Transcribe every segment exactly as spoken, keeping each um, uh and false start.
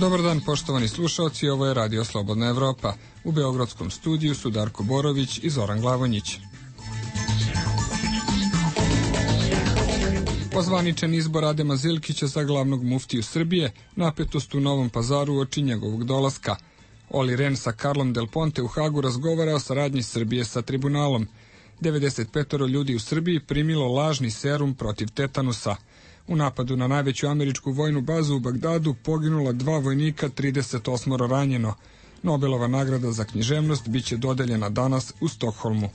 Dobar dan, poštovani slušalci, ovo je Radio Slobodna Evropa. U beogradskom studiju su Darko Borović i Zoran Glavonjić. Ozvaničen izbor Adema Zilkića za glavnog muftiju Srbije, napetost u Novom Pazaru uoči njegovog dolaska. Oli Ren sa Karlom Del Ponte u Hagu razgovara o saradnji Srbije sa tribunalom. devedeset pet ljudi u Srbiji primilo lažni serum protiv tetanusa. U napadu na najveću američku vojnu bazu u Bagdadu poginula dva vojnika, trideset osam ranjeno. Nobelova nagrada za književnost biće dodeljena danas u Stokholmu.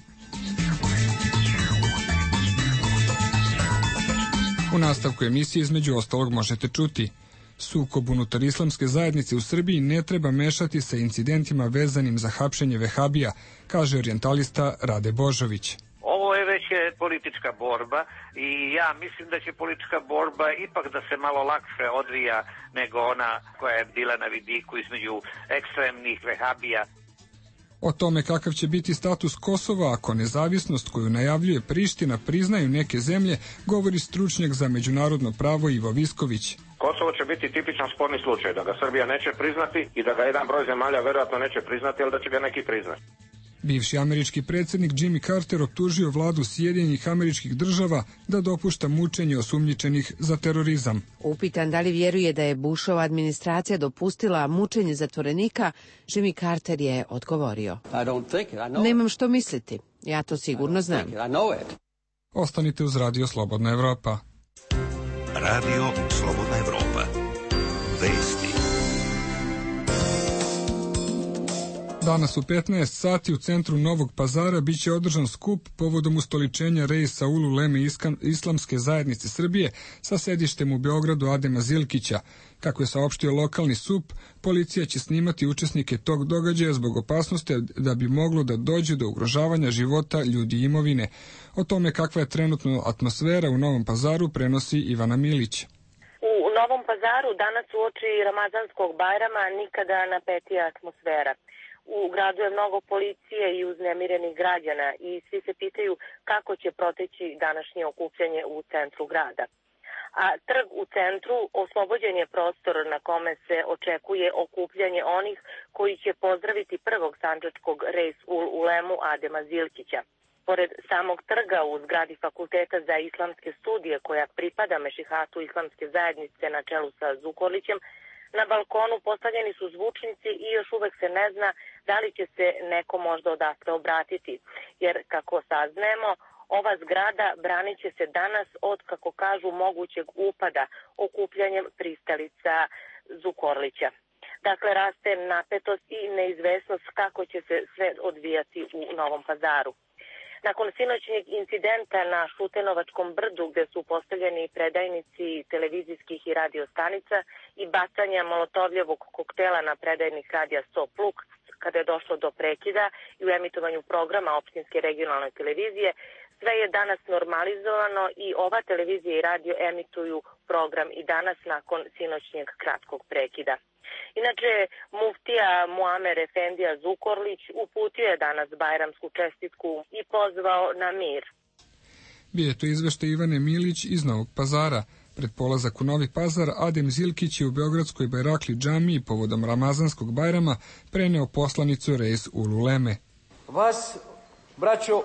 U nastavku emisije između ostalog možete čuti: sukob unutar islamske zajednice u Srbiji ne treba mešati sa incidentima vezanim za hapšenje vehabija, kaže orijentalista Rade Božović. Ovo je već politička borba i ja mislim da će politička borba ipak da se malo lakše odvija nego ona koja je bila na vidiku između ekstremnih vehabija. O tome kakav će biti status Kosova ako nezavisnost koju najavljuje Priština priznaju neke zemlje, govori stručnjak za međunarodno pravo Ivo Visković. Kosovo će biti tipičan sporni slučaj, da ga Srbija neće priznati i da ga jedan broj zemalja verovatno neće priznati, ali da će ga neki priznati. Bivši američki predsjednik Jimmy Carter optužio vladu Sjedinjenih Američkih Država da dopušta mučenje osumnjičenih za terorizam. Upitan da li vjeruje da je Bushova administracija dopustila mučenje zatvorenika, Jimmy Carter je odgovorio: nemam što misliti, ja to sigurno znam. Ostanite uz Radio Slobodna Evropa. Radio Slobodna Evropa. Vesti. Danas u petnaest sati u centru Novog Pazara biće održan skup povodom ustoličenja Reisa Ululeme Islamske zajednice Srbije sa sedištem u Beogradu Adema Zilkića. Kako je saopštio lokalni S U P, policija će snimati učesnike tog događaja zbog opasnosti da bi moglo da dođe do ugrožavanja života ljudi i imovine. O tome kakva je trenutno atmosfera u Novom Pazaru prenosi Ivana Milić. U Novom Pazaru danas uoči Ramazanskog Bajrama nikada napetija atmosfera. U gradu je mnogo policije i uznemirenih građana i svi se pitaju kako će proteći današnje okupljanje u centru grada. A trg u centru oslobođen je prostor na kome se očekuje okupljanje onih koji će pozdraviti prvog sandžačkog Reis ul Ulemu Adema Zilkića. Pored samog trga u zgradi Fakulteta za islamske studije koja pripada Mešihatu islamske zajednice na čelu sa Zukorlićem, na balkonu postavljeni su zvučnici i još uvek se ne zna da li će se neko možda odatle obratiti, jer kako saznajemo, ova zgrada branit će se danas od, kako kažu, mogućeg upada okupljanjem pristalica Zukorlića. Dakle, raste napetost i neizvesnost kako će se sve odvijati u Novom Pazaru. Nakon sinoćnjeg incidenta na Šutenovačkom brdu gde su postavljeni predajnici televizijskih i radio stanica i bacanja molotovljevog koktela na predajnik radija sto Pluk kada je došlo do prekida i u emitovanju programa opštinske regionalne televizije, sve je danas normalizovano i ova televizija i radio emituju program i danas nakon sinoćnjeg kratkog prekida. Inače, muftija Muamer Efendija Zukorlić uputio je danas bajramsku čestitku i pozvao na mir. Bio je to izveštaj Ivane Milić iz Novog Pazara. Pred polazak u Novi Pazar, Adem Zilkić je u Beogradskoj Bajrakli džamiji povodom Ramazanskog Bajrama preneo poslanicu Reis ul Uleme. Vas, braćo,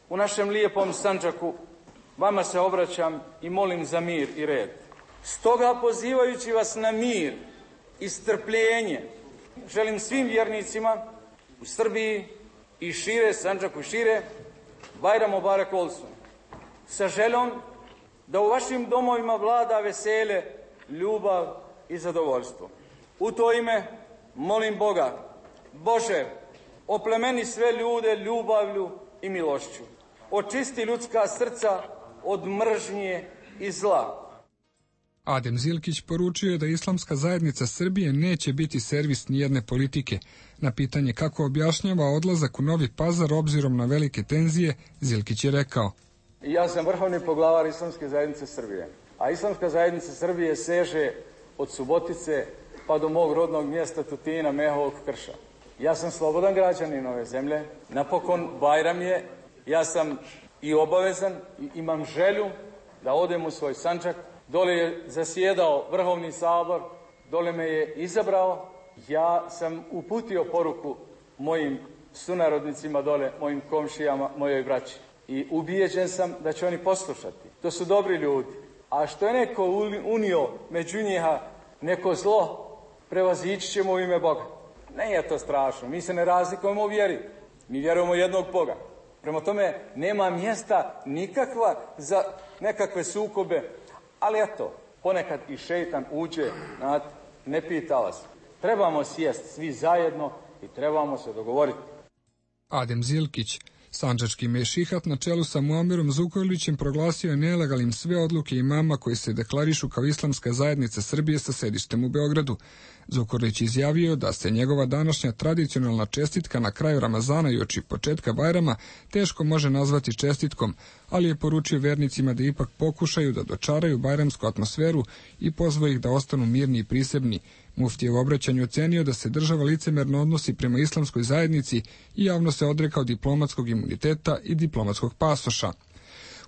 u našem lijepom Sandžaku, vama se obraćam i molim za mir i red. Stoga, pozivajući vas na mir i strpljenje, želim svim vjernicima u Srbiji i šire, Sandžaku i šire, Bajram Mubarek olsun, sa željom da u vašim domovima vlada vesele, ljubav i zadovoljstvo. U to ime molim Boga: Bože, oplemeni sve ljude ljubavlju i milošću, očisti ljudska srca od mržnje i zla. Adem Zilkić poručio je da Islamska zajednica Srbije neće biti servis nijedne politike. Na pitanje kako objašnjava odlazak u Novi Pazar obzirom na velike tenzije, Zilkić je rekao: ja sam vrhovni poglavar Islamske zajednice Srbije, a Islamska zajednica Srbije seže od Subotice pa do mog rodnog mjesta Tutina, Mehovog Krša. Ja sam slobodan građanin ove zemlje, napokon Bajram je, ja sam i obavezan i imam želju da odem u svoj Sandžak. Dole je zasjedao Vrhovni sabor dole me je izabrao, ja sam uputio poruku mojim sunarodnicima dole, mojim komšijama, mojoj braći. I ubijeđen sam da će oni poslušati. To su dobri ljudi. A što je neko unio među njiha neko zlo, prevazići ćemo u ime Boga. Ne je to strašno, mi se ne razlikujemo u vjeri. Mi vjerujemo jednog Boga. Prema tome, nema mjesta nikakva za nekakve sukobe. Ali eto, ponekad i šeitan uđe, znate, ne pita vas. Trebamo sjesti svi zajedno i trebamo se dogovoriti. Adem Zilkić, sandžački mešihat na čelu sa Muamerom Zukorlićem, proglasio je nelegalnim sve odluke imama koji se deklarišu kao islamska zajednica Srbije sa sedištem u Beogradu. Zukorlić izjavio da se njegova današnja tradicionalna čestitka na kraju Ramazana i oči početka Bajrama teško može nazvati čestitkom, ali je poručio vernicima da ipak pokušaju da dočaraju bajramsku atmosferu i pozvao ih da ostanu mirni i prisebni. Mufti je u obraćanju ocenio da se država licemerno odnosi prema islamskoj zajednici i javno se odrekao diplomatskog imuniteta i diplomatskog pasoša.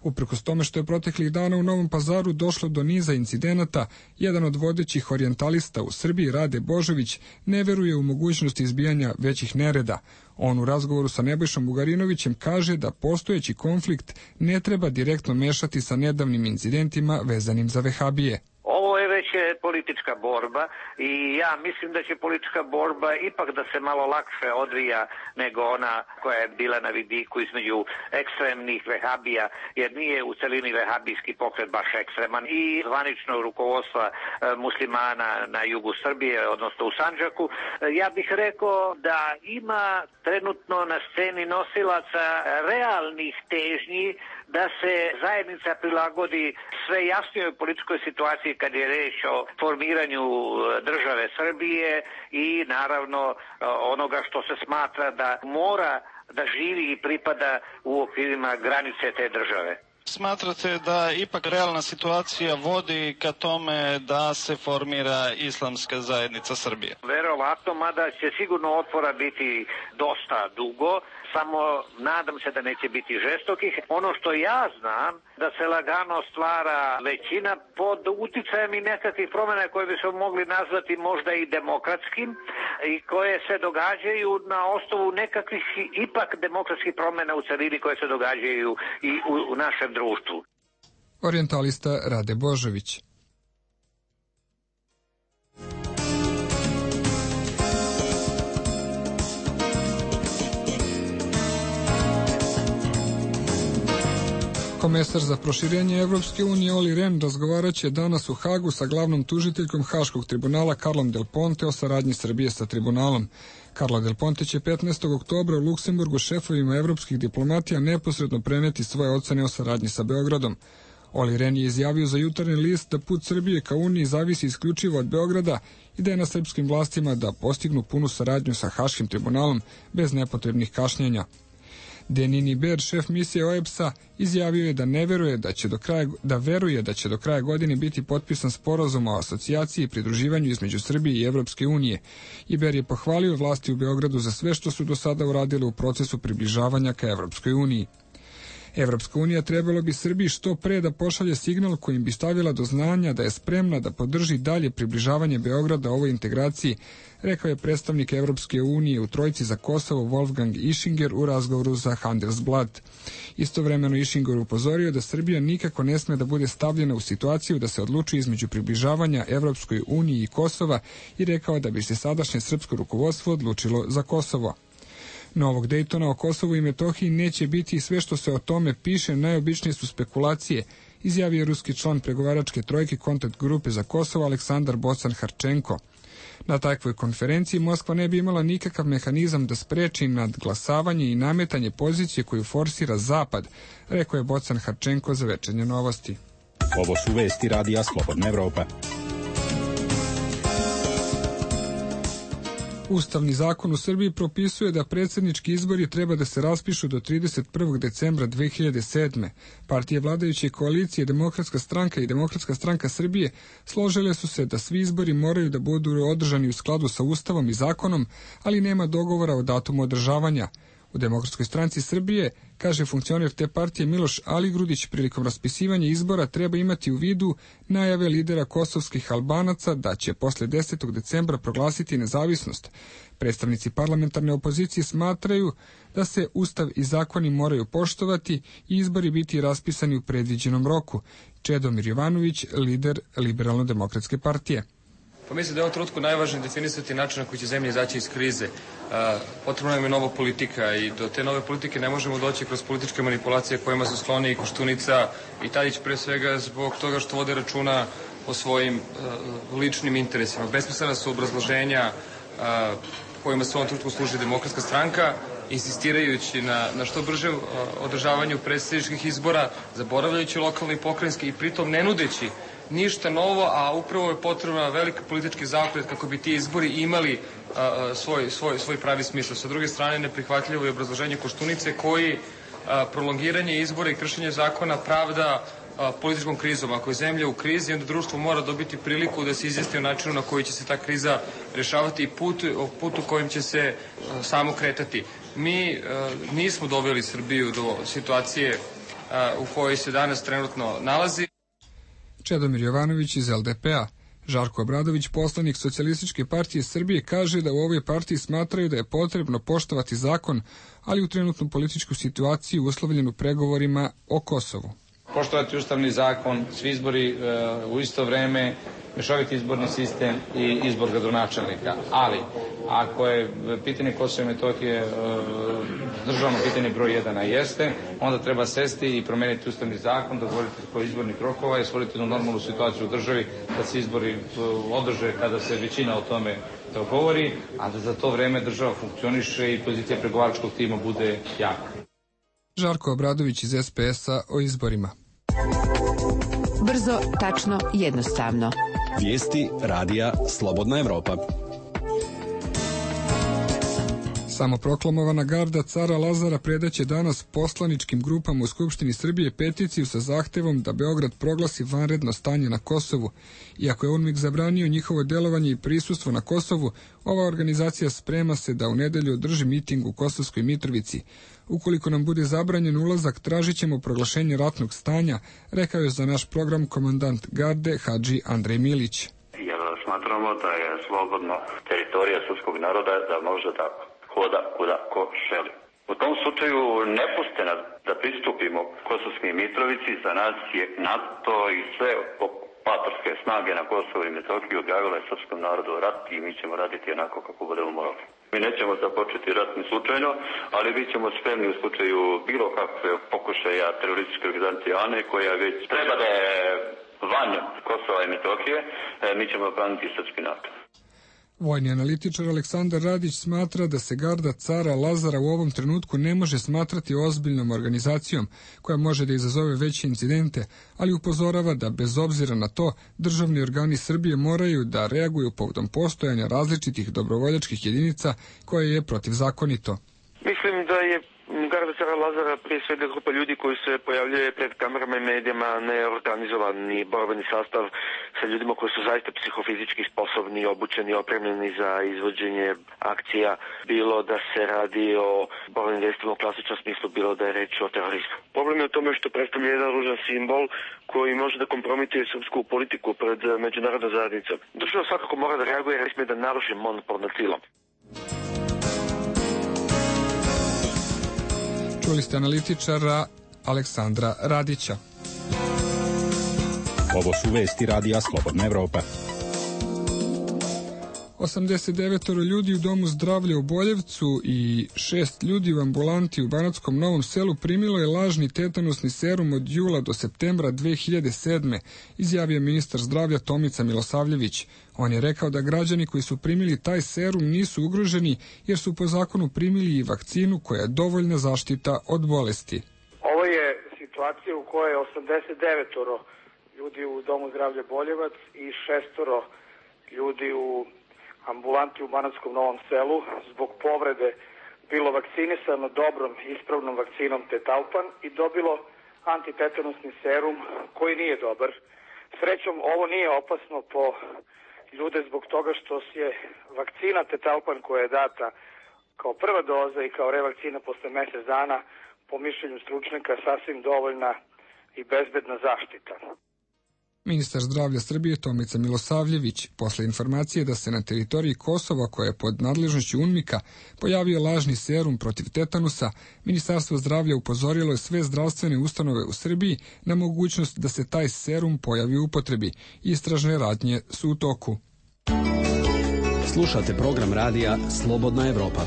Uprkos tome što je proteklih dana u Novom Pazaru došlo do niza incidenata, jedan od vodećih orijentalista u Srbiji, Rade Božović, ne veruje u mogućnost izbijanja većih nereda. On u razgovoru sa Nebojšom Bugarinovićem kaže da postojeći konflikt ne treba direktno mešati sa nedavnim incidentima vezanim za vehabije. Ovo je već politička borba i ja mislim da će politička borba ipak da se malo lakše odvija nego ona koja je bila na vidiku između ekstremnih vehabija, jer nije u celini vehabijski pokret baš ekstreman i zvanično rukovodstva muslimana na jugu Srbije, odnosno u Sandžaku. Ja bih rekao da ima trenutno na sceni nosilaca realnih težnji da se zajednica prilagodi sve jasnijoj političkoj situaciji kad je reč o formiranju države Srbije i naravno onoga što se smatra da mora da živi i pripada u okvirima granice te države. Smatrate da ipak realna situacija vodi ka tome da se formira islamska zajednica Srbije? Verovatno, mada će sigurno otpora biti dosta dugo, samo nadam se da neće biti žestokih. Ono što ja znam, da se lagano stvara većina pod uticajem i nekakvih promjena koje bi se mogli nazvati možda i demokratskim i koje se događaju na osnovu nekakvih ipak demokratskih promjena u celini koje se događaju i u, u našem društvu. Orijentalista Rade Božović. Komesar za proširenje Evropske unije Olli Rehn razgovaraće danas u Hagu sa glavnom tužiteljkom Haškog tribunala Carlom Del Ponte o saradnji Srbije sa tribunalom. Carlo Del Ponte će petnaestog oktobra u Luksemburgu šefovima evropskih diplomatija neposredno preneti svoje ocene o saradnji sa Beogradom. Olli Rehn je izjavio za Jutarnji list da put Srbije ka Uniji zavisi isključivo od Beograda i da je na srpskim vlastima da postignu punu saradnju sa Haškim tribunalom bez nepotrebnih kašnjenja. Denini Ber, šef misije O E B S-a, izjavio je da ne veruje da će do kraja, da veruje da će do kraja godine biti potpisan sporazum o asocijaciji i pridruživanju između Srbije i Evropske unije. I Ber je pohvalio vlasti u Beogradu za sve što su do sada uradile u procesu približavanja ka Evropskoj uniji. Evropska unija trebalo bi Srbiji što pre da pošalje signal kojim bi stavila do znanja da je spremna da podrži dalje približavanje Beograda ovoj integraciji, rekao je predstavnik Evropske unije u Trojci za Kosovo Wolfgang Ischinger u razgovoru za Handelsblad. Istovremeno Ischinger upozorio da Srbija nikako ne sme da bude stavljena u situaciju da se odlučuje između približavanja Evropskoj uniji i Kosova i rekao da bi se sadašnje srpsko rukovodstvo odlučilo za Kosovo. Novog Dejtona o Kosovu i Metohiji neće biti i sve što se o tome piše, najobičnije su spekulacije, izjavio ruski član pregovaračke trojke kontakt grupe za Kosovo Aleksandar Bocan-Harčenko. Na takvoj konferenciji Moskva ne bi imala nikakav mehanizam da spreči nadglasavanje i nametanje pozicije koju forsira Zapad, rekao je Bocan-Harčenko za Večernje novosti. Ovo su vesti radija Slobodna Evropa. Ustavni zakon u Srbiji propisuje da predsjednički izbori treba da se raspišu do trideset prvog decembra dve hiljade sedme. Partije vladajuće koalicije Demokratska stranka i Demokratska stranka Srbije složile su se da svi izbori moraju da budu održani u skladu sa Ustavom i zakonom, ali nema dogovora o datumu održavanja. U Demokratskoj stranci Srbije, kaže funkcioner te partije Miloš Aligrudić, prilikom raspisivanja izbora treba imati u vidu najave lidera kosovskih Albanaca da će posle desetog decembra proglasiti nezavisnost. Predstavnici parlamentarne opozicije smatraju da se ustav i zakoni moraju poštovati i izbori biti raspisani u predviđenom roku. Čedomir Jovanović, lider Liberalno-demokratske partije. Pa mislim da je u ovom trenutku najvažnije definisati način na koji će zemlja izaći iz krize. Potrebna nam je nova politika i do te nove politike ne možemo doći kroz političke manipulacije kojima su skloni i Koštunica i Tadić, pre svega zbog toga što vode računa o svojim ličnim interesima. Besmislena su obrazloženja kojima se u ovom trenutku služi Demokratska stranka, insistirajući na, na što brže održavanju predsjedničkih izbora, zaboravljajući lokalne i pokrajinske i pritom ne nudeći ništa novo, a upravo je potrebna veliki politički zaokret kako bi ti izbori imali a, svoj, svoj, svoj pravi smisla. Sa druge strane, neprihvatljivo je obrazloženje Koštunice koji a, prolongiranje izbora i kršenje zakona pravda a, političkom krizom. Ako je zemlja u krizi, onda društvo mora dobiti priliku da se izjasni o načinu na koji će se ta kriza rešavati i put, o putu kojim će se a, samo kretati. Mi a, nismo doveli Srbiju do situacije a, u kojoj se danas trenutno nalazi. Čedomir Jovanović iz L D P-a. Žarko Obradović, poslanik Socijalističke partije Srbije, kaže da u ovoj partiji smatraju da je potrebno poštovati zakon, ali u trenutnu političku situaciju uslovljenu pregovorima o Kosovu. Poštovati ustavni zakon, svi izbori e, u isto vreme, mešoviti izborni sistem i izbor gradonačelnika. Ali, ako je pitanje Kosova i Metohije e, državno pitanje broj jedan, a jeste, onda treba sesti i promeniti ustavni zakon, dogovoriti po izbornih rokova i stvoriti jednu normalnu situaciju u državi da se izbori održe kada se većina o tome dogovori, a da za to vreme država funkcioniše i pozicija pregovaračkog tima bude jaka. Žarko Obradović iz S P S-a o izborima. Brzo, tačno, jednostavno. Vijesti radija Slobodna Evropa. Samoproklamovana garda cara Lazara predaće danas poslaničkim grupama u Skupštini Srbije peticiju sa zahtevom da Beograd proglasi vanredno stanje na Kosovu. Iako je UNMIK zabranio njihovo delovanje i prisustvo na Kosovu, ova organizacija sprema se da u nedelju održi miting u Kosovskoj Mitrovici. Ukoliko nam bude zabranjen ulazak, tražit ćemo proglašenje ratnog stanja, rekao je za naš program komandant garde Hadži Andrej Milić. Jer smatramo da je slobodno teritorija srpskog naroda da može da hoda kuda ko želi. U tom slučaju ne puste nas da pristupimo Kosovskoj Mitrovici, za nas je NATO i sve okupatorske snage na Kosovu i Metohiji objavile srpskom narodu rat i mi ćemo raditi onako kako budemo morali. Mi nećemo započeti rat ni slučajno, ali bit ćemo spremni u slučaju bilo kakve pokušaja terorističke organizacije ANE koja već treba da je van Kosova i Metohije, mi ćemo braniti srpski narod. Vojni analitičar Aleksandar Radić smatra da se garda cara Lazara u ovom trenutku ne može smatrati ozbiljnom organizacijom koja može da izazove veće incidente, ali upozorava da bez obzira na to državni organi Srbije moraju da reaguju povodom postojanja različitih dobrovoljačkih jedinica koje je protivzakonito. Mislim da je garda cara Lazara prije svega grupa ljudi koji se pojavljuje pred kamerama i medijama, neorganizovani borbeni sastav sa ljudima koji su zaista psihofizički sposobni, obučeni, opremljeni za izvođenje akcija, bilo da se radi o borbenim vjestima u klasičnom smislu, bilo da je reč o terorizmu. Problem je u tome što predstavlja jedan ružan simbol koji može da kompromituje srpsku politiku pred međunarodnom zajednicom. Država svakako mora da reaguje jer ne smije da naruši monopol nad silom. Čuli ste analitičara Aleksandra Radića. Ovo su vesti radija Slobodna Evropa. osamdeset devet ljudi u domu zdravlja u Boljevcu i šest ljudi u ambulanti u Banatskom Novom Selu primilo je lažni tetanusni serum od jula do septembra dve hiljade sedme, izjavio ministar zdravlja Tomica Milosavljević. On je rekao da građani koji su primili taj serum nisu ugroženi jer su po zakonu primili i vakcinu koja je dovoljna zaštita od bolesti. Ovo je situacija u kojoj je osamdeset devet ljudi u domu zdravlja Boljevac i šestoro ljudi u ambulanti u Banatskom Novom Selu zbog povrede bilo vakcinisano dobrom ispravnom vakcinom Tetalpan i dobilo antitetanusni serum koji nije dobar. Srećom, ovo nije opasno po ljude zbog toga što je vakcina Tetalpan koja je data kao prva doza i kao revakcina posle mjesec dana po mišljenju stručnjaka sasvim dovoljna i bezbedna zaštita. Ministar zdravlja Srbije Tomica Milosavljević, posle informacije da se na teritoriji Kosova, koja je pod nadležnošću UNMIK-a, pojavio lažni serum protiv tetanusa, Ministarstvo zdravlja upozorilo je sve zdravstvene ustanove u Srbiji na mogućnost da se taj serum pojavi u upotrebi. Istražne radnje su u toku. Slušate program radija Slobodna Evropa.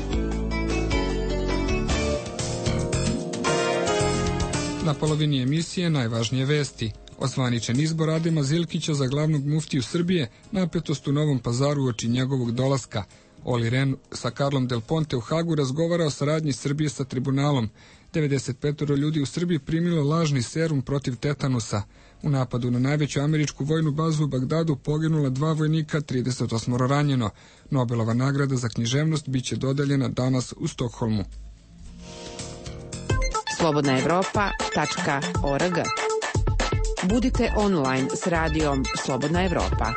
Na polovini emisije najvažnije vesti. Ozvaničen izbor Adema Zilkića za glavnog muftiju Srbije, napetost u Novom Pazaru uoči njegovog dolaska. Oli Ren sa Karlom Del Ponte u Hagu razgovara o saradnji Srbije sa tribunalom. devedeset pet ljudi u Srbiji primilo lažni serum protiv tetanusa. U napadu na najveću američku vojnu bazu u Bagdadu poginula dva vojnika, trideset osam ranjeno. Nobelova nagrada za književnost biće dodeljena danas u Stokholmu. slobodna evropa tačka org. Budite online s radijom Slobodna Evropa.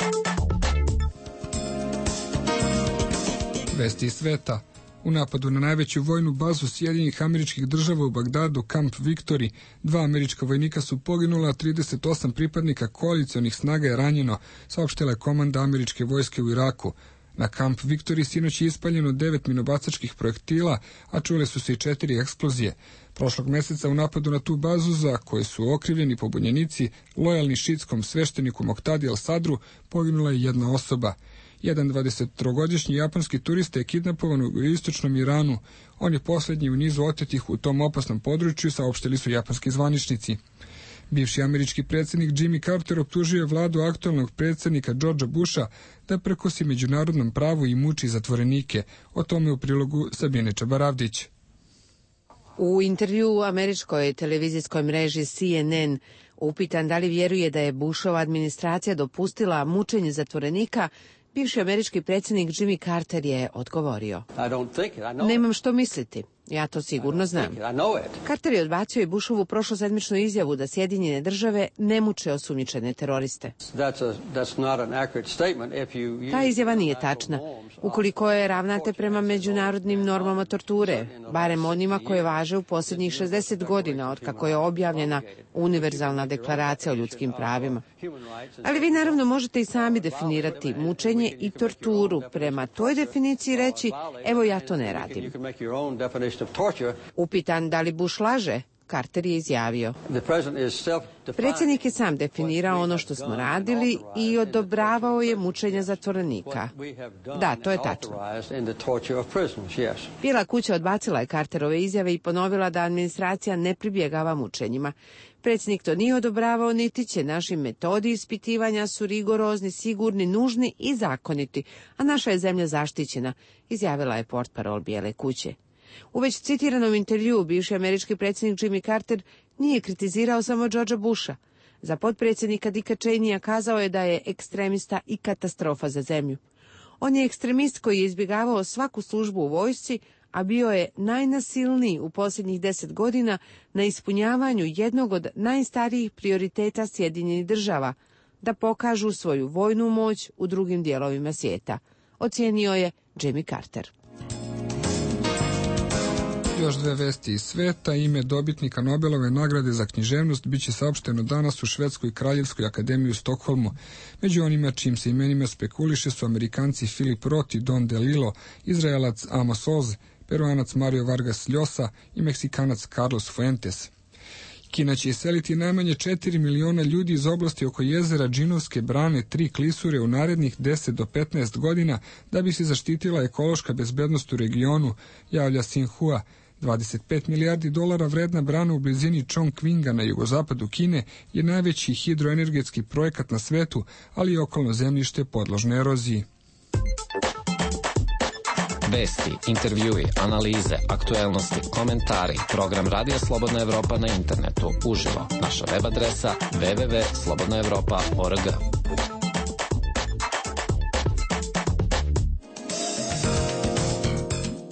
Vesti iz sveta. U napadu na najveću vojnu bazu Sjedinjenih Američkih Država u Bagdadu, Camp Victory, dva američka vojnika su poginula, a trideset osam pripadnika koalicionih snaga je ranjeno, saopštila je komanda američke vojske u Iraku. Na Camp Victory sinoć je ispaljeno devet minobacačkih projektila, a čule su se i četiri eksplozije. Prošlog meseca u napadu na tu bazu, za koje su okrivljeni pobunjenici, lojalni šiitskom svešteniku Moktadi al-Sadru, poginula je jedna osoba. Jedan dvadesettrogodišnji japanski turista je kidnapovan u istočnom Iranu. On je posljednji u nizu otetih u tom opasnom području, saopštili su japanski zvaničnici. Bivši američki predsjednik Jimmy Carter optužio je vladu aktualnog predsjednika Georgea Busha da prekosi međunarodnom pravu i muči zatvorenike. O tome u prilogu Sabine Čabaravdić. U intervju američkoj televizijskoj mreži C N N upitan da li vjeruje da je Bushova administracija dopustila mučenje zatvorenika, bivši američki predsjednik Jimmy Carter je odgovorio: Nemam što misliti. Ja to sigurno znam. Carter je odbacio i Bushovu prošlosedmičnu izjavu da Sjedinjene države ne muče osumnjičene teroriste. Ta izjava nije tačna. Ukoliko je ravnate prema međunarodnim normama torture, barem onima koje važe u posljednjih šezdeset godina od kako je objavljena Univerzalna deklaracija o ljudskim pravima. Ali vi naravno možete i sami definirati mučenje i torturu prema toj definiciji reći: evo ja to ne radim. Upitan da li Bush laže, Carter je izjavio: predsjednik je sam definirao ono što smo radili i odobravao je mučenje zatvorenika. Da, to je tačno. Bijela kuća odbacila je Carterove izjave i ponovila da administracija ne pribjegava mučenjima. Predsjednik to nije odobravao, niti će. Naši metodi ispitivanja su rigorozni, sigurni, nužni i zakoniti, a naša je zemlja zaštićena, izjavila je portparol Bijele kuće. U već citiranom intervjuu bivši američki predsjednik Jimmy Carter nije kritizirao samo Georgea Busha. Za potpredsjednika Dicka Cheneya kazao je da je ekstremista i katastrofa za zemlju. On je ekstremist koji je izbjegavao svaku službu u vojsci, a bio je najnasilniji u posljednjih deset godina na ispunjavanju jednog od najstarijih prioriteta Sjedinjenih država, da pokažu svoju vojnu moć u drugim dijelovima svijeta, ocijenio je Jimmy Carter. Još dve vesti iz sveta. Ime dobitnika Nobelove nagrade za književnost biće saopšteno danas u Švedskoj kraljevskoj akademiji u Stokholmu. Među onima čim se imenima spekuliše su Amerikanci Philip Roth i Don DeLillo, Izraelac Amos Oz, Peruanac Mario Vargas Llosa i Meksikanac Carlos Fuentes. Kina će iseliti najmanje četiri miliona ljudi iz oblasti oko jezera Džinovske brane Tri klisure u narednih deset do petnaest godina da bi se zaštitila ekološka bezbednost u regionu, javlja Xinhua. dvadeset pet milijardi dolara vredna brana u blizini Chongqinga na jugozapadu Kine je najveći hidroenergetski projekat na svetu, ali i okolno zemljište podložno eroziji. Vesti, intervjui, analize, aktuelnosti, komentari. Program Radija Slobodna Evropa na internetu. Uživo. Naša web adresa w w w tačka slobodna evropa tačka org.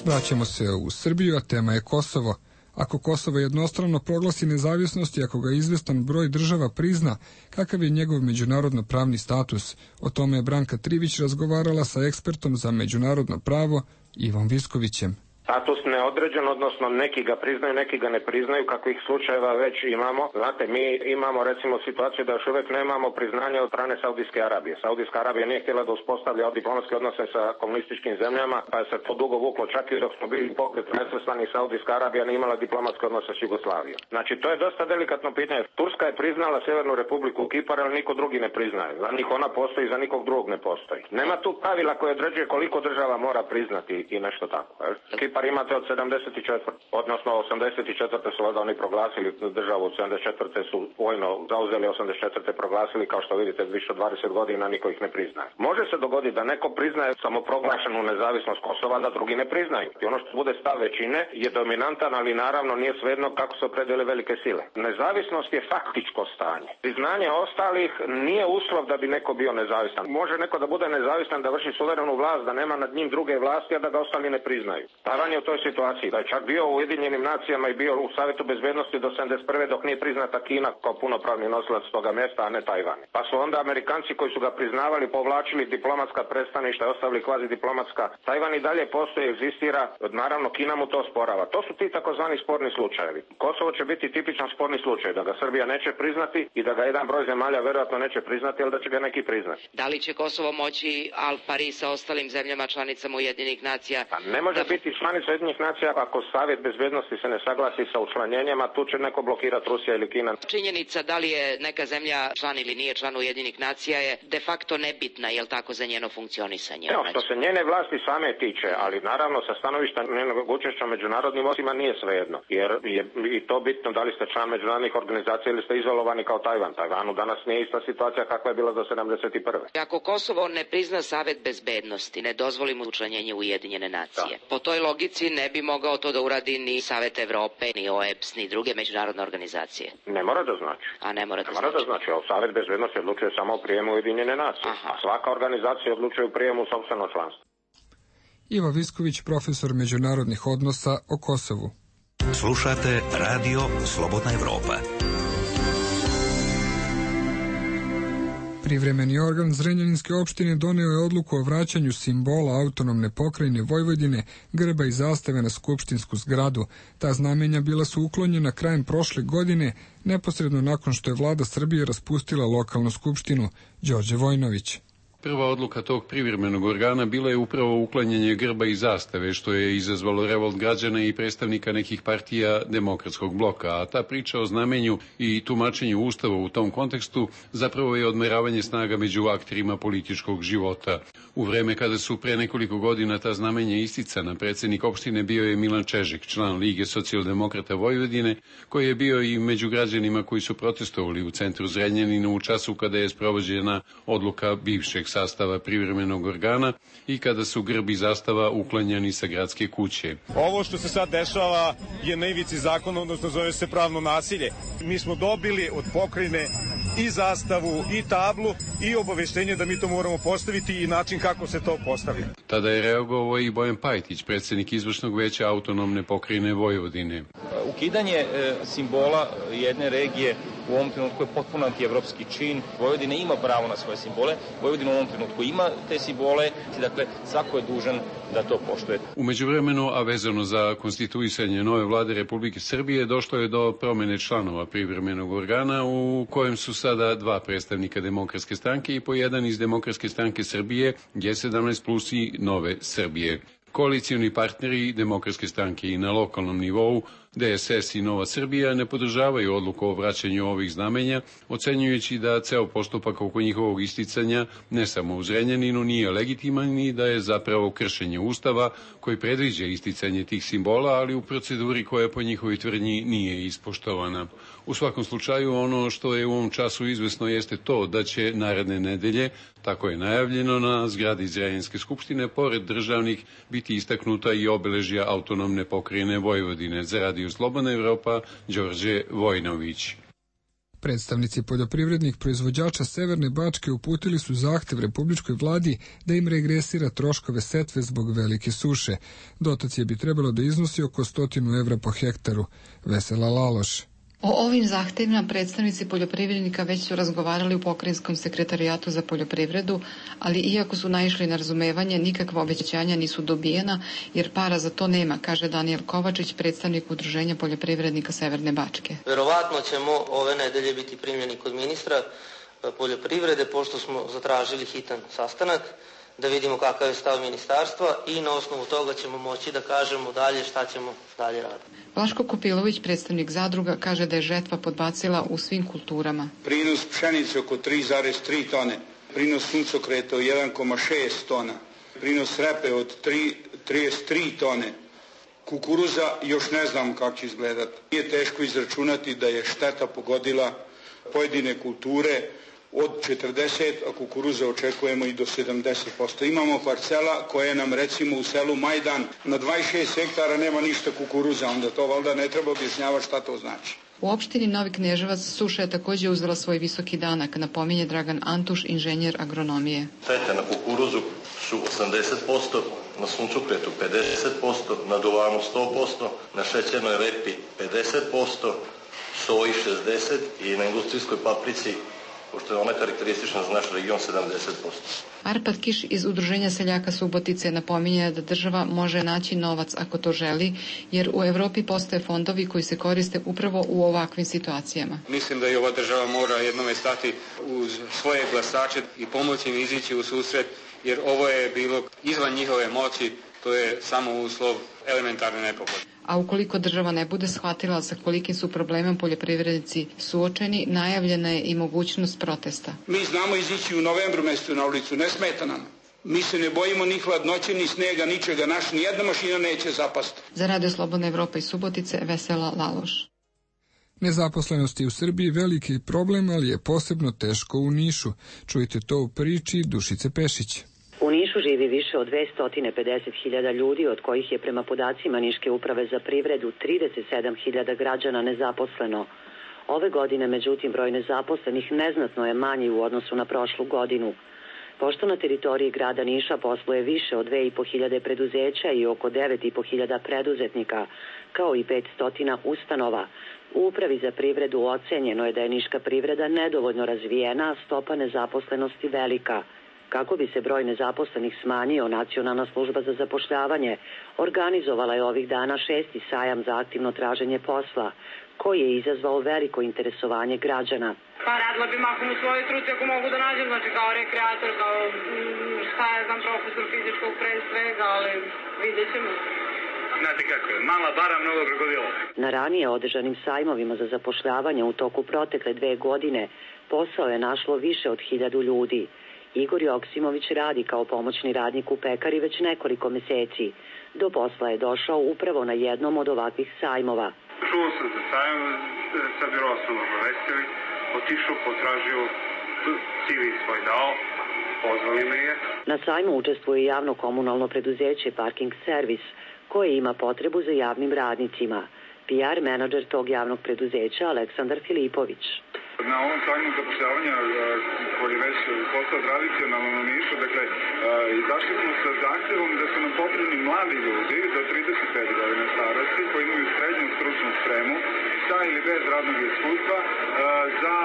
Vraćamo se u Srbiju, a tema je Kosovo. Ako Kosovo jednostrano proglasi nezavisnost i ako ga izvestan broj država prizna, kakav je njegov međunarodno pravni status? O tome je Branka Trivić razgovarala sa ekspertom za međunarodno pravo Ivom Viskovićem. Status neodređen, odnosno neki ga priznaju, neki ga ne priznaju, kakvih slučajeva već imamo. Znate, mi imamo recimo situaciju da još uvijek nemamo priznanje od strane Saudijske Arabije. Saudijska Arabija nije htjela da uspostavlja diplomatske odnose sa komunističkim zemljama, pa je se to dugo vuklo, čak i dok smo bili pokret nesvrstani, Saudijska Arabija nije imala diplomatske odnose s Jugoslavijom. Znači, to je dosta delikatno pitanje. Turska je priznala Sjevernu Republiku Kipar, ali niko drugi ne priznaje. Za njih ona postoji, za nikog drugog ne postoji. Nema tu pravila koje određuje koliko država mora priznati i nešto tako. Kipar imate od sedamdeset četvrte odnosno osamdeset četvrte su valjda oni proglasili državu, od sedamdeset četvrte su vojno zauzeli, osamdeset četvrte proglasili, kao što vidite više od dvadeset godina niko ih ne priznaje. Može se dogoditi da neko priznaje samoproglašenu nezavisnost Kosova, da drugi ne priznaju. I ono što bude stav većine je dominantan, ali naravno nije svejedno kako se opredele velike sile. Nezavisnost je faktičko stanje. Priznanje ostalih nije uslov da bi neko bio nezavisan. Može neko da bude nezavisan, da vrši suverenu vlast, da nema nad njim druge vlasti, a da ga ostali ne priznaju. Tajvan je u toj situaciji, da je čak bio u Ujedinjenim nacijama i bio u Savjetu bezbednosti do sedamdeset prve dok nije priznata Kina kao punopravni nosilac toga mjesta, a ne Tajvan. Pa su onda Amerikanci koji su ga priznavali povlačili diplomatska predstavništva i ostavili kvazi diplomatska. Tajvan i dalje postoji, egzistira, naravno Kina mu to sporava. To su ti takozvani sporni slučajevi. Kosovo će biti tipičan sporni slučaj, da ga Srbija neće priznati i da ga jedan broj zemalja verovatno neće priznati, ali da će ga neki priznati. Da li će Kosovo moći al pari sa ostalim zemljama članicama Ujedinjenih nacija? Pa ne može da... biti članica Ujedinjenih nacija ako Savjet bezbednosti se ne saglasi sa učlanjenjem, a tu će neko blokirati Rusija ili Kina. Činjenica da li je neka zemlja član ili nije član Ujedinjenih nacija je de facto nebitna, je li tako, za njeno funkcionisanje? No, što se njene vlasti same tiče, ali naravno sa stanovišta njenog učešća međunarodnim odnosima nije svejedno, jer je i to bitno da li ste član međunarodnih organizacija ili ste izolovani kao Tajvan. Tajvanu danas nije ista situacija kakva je bila do sedamdeset prve. Ako Kosovo ne prizna Savjet bezbednosti, ne dozvoli mu učlanjenje u Ujedinjene nacije, da. Po toj logici ne bi mogao to da uradi ni Savet Evrope, ni O E B S, ni druge međunarodne organizacije. Ne mora da znači. A ne mora da ne znači. Mora da znači. Savet bezbednosti odlučuje samo o prijemu Ujedinjene nacije. Aha. A svaka organizacija odlučuje u prijemu sopstveno članstvo. Ivo Visković, profesor međunarodnih odnosa o Kosovu. Slušate Radio Slobodna Evropa. Privremeni organ Zrenjaninske opštine doneo je odluku o vraćanju simbola autonomne pokrajine Vojvodine, grba i zastave na skupštinsku zgradu. Ta znamenja bila su uklonjena krajem prošle godine, neposredno nakon što je vlada Srbije raspustila lokalnu skupštinu. Đorđe Vojnović. Prva odluka tog privremenog organa bila je upravo uklanjanje grba i zastave, što je izazvalo revolt građana i predstavnika nekih partija demokratskog bloka, a ta priča o znamenju i tumačenju Ustava u tom kontekstu zapravo je odmeravanje snaga među akterima političkog života. U vreme kada su pre nekoliko godina ta znamenja isticana, predsednik opštine bio je Milan Čežek, član Lige socijaldemokrata Vojvodine, koji je bio i među građanima koji su protestovali u centru Zrenjanina u času kada je sprovođena odluka bivšeg sastava privremenog organa i kada su grb i zastava uklanjani sa gradske kuće. Ovo što se sad dešava je na ivici zakona, odnosno zove se pravno nasilje. Mi smo dobili od pokrajine i zastavu i tablu i obaveštenje da mi to moramo postaviti i način kako se to postavlja. Tada je reagovao i Bojan Pajtić, predsednik izvršnog veća autonomne pokrajine Vojvodine. Ukidanje e, simbola jedne regije u ovom trenutku je potpuno antievropski čin. Vojvodina ima pravo na svoje simbole. Vojvodina u ovom trenutku ima te simbole, dakle svako je dužan da to poštuje. U međuvremenu, a vezano za konstituisanje nove vlade Republike Srbije, došlo je do promene članova privremenog organa u kojem su sada dva predstavnika Demokratske stranke i po jedan iz Demokratske stranke Srbije, G sedamnaest plus i Nove Srbije. Koalicioni partneri Demokratske stranke i na lokalnom nivou D S S i Nova Srbija ne podržavaju odluku o vraćanju ovih znamenja, ocenjujući da ceo postupak oko njihovog isticanja ne samo u Zrenjaninu nije legitiman i da je zapravo kršenje Ustava koji predviđa isticanje tih simbola, ali u proceduri koja po njihovoj tvrdnji nije ispoštovana. U svakom slučaju, ono što je u ovom času izvesno jeste to da će naredne nedelje, tako je najavljeno, na zgradi Zrenjaninske skupštine, pored državnih, biti istaknuta i obeležja autonomne pokrajine Vojvodine. Za Radio Slobodna Evropa, Đorđe Vojnović. Predstavnici poljoprivrednih proizvođača Severne Bačke uputili su zahtev Republičkoj vladi da im regresira troškove setve zbog velike suše. Dotacije bi trebalo da iznosi oko stotinu evra po hektaru. Vesela Laloš. O ovim zahtevima predstavnici poljoprivrednika već su razgovarali u Pokrajinskom sekretarijatu za poljoprivredu, ali iako su naišli na razumevanje, nikakva obećanja nisu dobijena, jer para za to nema, kaže Danijel Kovačić, predstavnik Udruženja poljoprivrednika Severne Bačke. Verovatno ćemo ove nedelje biti primljeni kod ministra poljoprivrede, pošto smo zatražili hitan sastanak, da vidimo kakav je stav ministarstva i na osnovu toga ćemo moći da kažemo dalje šta ćemo dalje raditi. Vlaško Kopilović, predstavnik zadruga, kaže da je žetva podbacila u svim kulturama. Prinos pšenice oko tri zarez tri tone, prinos suncokreta od jedan zarez šest tona, prinos repe od tri zarez trideset tri tone, kukuruza još ne znam kako će izgledati. Nije teško izračunati da je šteta pogodila pojedine kulture od četrdeset, a kukuruza očekujemo i do sedamdeset posto. Imamo parcela koje nam recimo u selu Majdan na dvadeset šest hektara nema ništa kukuruza, onda to valjda ne treba objašnjavati šta to znači. U opštini Novi Kneževac suša je također uzela svoj visoki danak, napominje Dragan Antuš, inženjer agronomije. Štete na kukuruzu su osamdeset posto, na suncokretu pedeset posto, na duvanu sto posto, na šećernoj repi pedeset posto, soji šezdeset posto i na industrijskoj paprici, pošto je ona karakteristična za naš region, sedamdeset posto. Arpad Kiš iz Udruženja seljaka Subotice napominje da država može naći novac ako to želi, jer u Evropi postoje fondovi koji se koriste upravo u ovakvim situacijama. Mislim da i ova država mora jednome stati uz svoje glasače i pomoći im izići u susret, jer ovo je bilo izvan njihove moći, to je samo uslov elementarne nepogode. A ukoliko država ne bude shvatila sa kolikim su problemom poljoprivrednici suočeni, najavljena je i mogućnost protesta. Mi znamo izići u novembru mjesecu na ulicu, ne smeta nam. Mi se ne bojimo ni hladnoće, ni snega, ničega. Naš nijedna mašina neće zapasti. Za Radio Slobodna Evropa i Subotice, Vesela Laloš. Nezaposlenost je u Srbiji veliki problem, ali je posebno teško u Nišu. Čujte to u priči Dušice Pešić. U Nišu živi više od dvesta pedeset hiljada ljudi, od kojih je prema podacima Niške uprave za privredu trideset sedam hiljada građana nezaposleno. Ove godine, međutim, broj nezaposlenih neznatno je manji u odnosu na prošlu godinu. Pošto na teritoriji grada Niša posluje više od dve i po hiljade preduzeća i oko devet i po hiljada preduzetnika, kao i petsto ustanova, u upravi za privredu ocenjeno je da je niška privreda nedovoljno razvijena, a stopa nezaposlenosti velika. Kako bi se broj nezaposlenih smanjio, Nacionalna služba za zapošljavanje organizovala je ovih dana šesti sajam za aktivno traženje posla, koji je izazvao veliko interesovanje građana. Pa radila bi mahom u svojoj struci ako mogu da nađem, znači kao rekreator, kao šta je znam, profesor fizičkog pre svega, ali vidjet ćemo. Znate kako je, mala bara, mnogo krokodila. Na ranije održanim sajmovima za zapošljavanje u toku protekle dve godine posao je našlo više od hiljadu ljudi. Igor Joksimović radi kao pomoćni radnik u pekari već nekoliko meseci. Do posla je došao upravo na jednom od ovakvih sajmova. Čuo sam za sajam, sa biro sam obavestili, otišao, potražio, C V svoj dao, pozvali me je. Na sajmu učestvuje javno komunalno preduzeće Parking Servis, koje ima potrebu za javnim radnicima. P R menadžer tog javnog preduzeća Aleksandar Filipović. Na ovom sajmu zapošljavanja koji već postao tradicionalno u Nišu, dakle, izašli smo sa zahtjevom da su nam potrebni mladi ljudi do trideset pet godina starosti koji imaju srednju stručnu spremu sa ili bez radnog iskustva za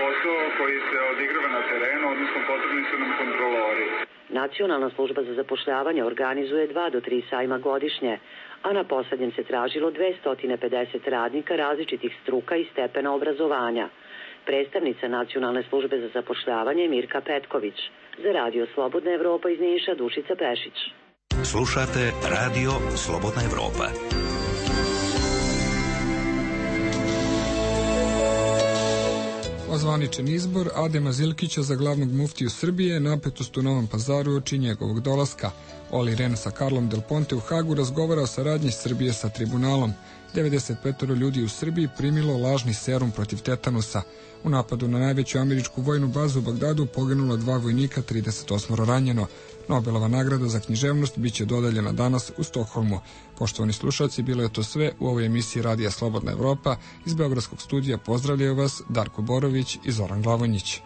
posao koji se odigrava na terenu, odnosno potrebni su nam kontrolori. Nacionalna služba za zapošljavanje organizuje dva do tri sajma godišnje, a na poslednjem se tražilo dvesta pedeset radnika različitih struka i stepena obrazovanja. Predstavnica Nacionalne službe za zapošljavanje Mirka Petković. Za Radio Slobodna Evropa iz Niša, Dušica Pešić. Slušate Radio Slobodna Evropa. Ozvaničen izbor Adema Zilkića za glavnog muftiju Srbije, napetost u Novom Pazaru oči njegovog dolaska. Oli Ren sa Karlom Del Ponte u Hagu razgovara o saradnji Srbije sa tribunalom. devedeset pet ljudi u Srbiji primilo lažni serum protiv tetanusa. U napadu na najveću američku vojnu bazu u Bagdadu poginulo dva vojnika, trideset osam ranjeno. Nobelova nagrada za književnost biće dodeljena danas u Stokholmu. Poštovani slušalci, bilo je to sve u ovoj emisiji Radija Slobodna Evropa. Iz Beogradskog studija pozdravljaju vas Darko Borović i Zoran Glavonjić.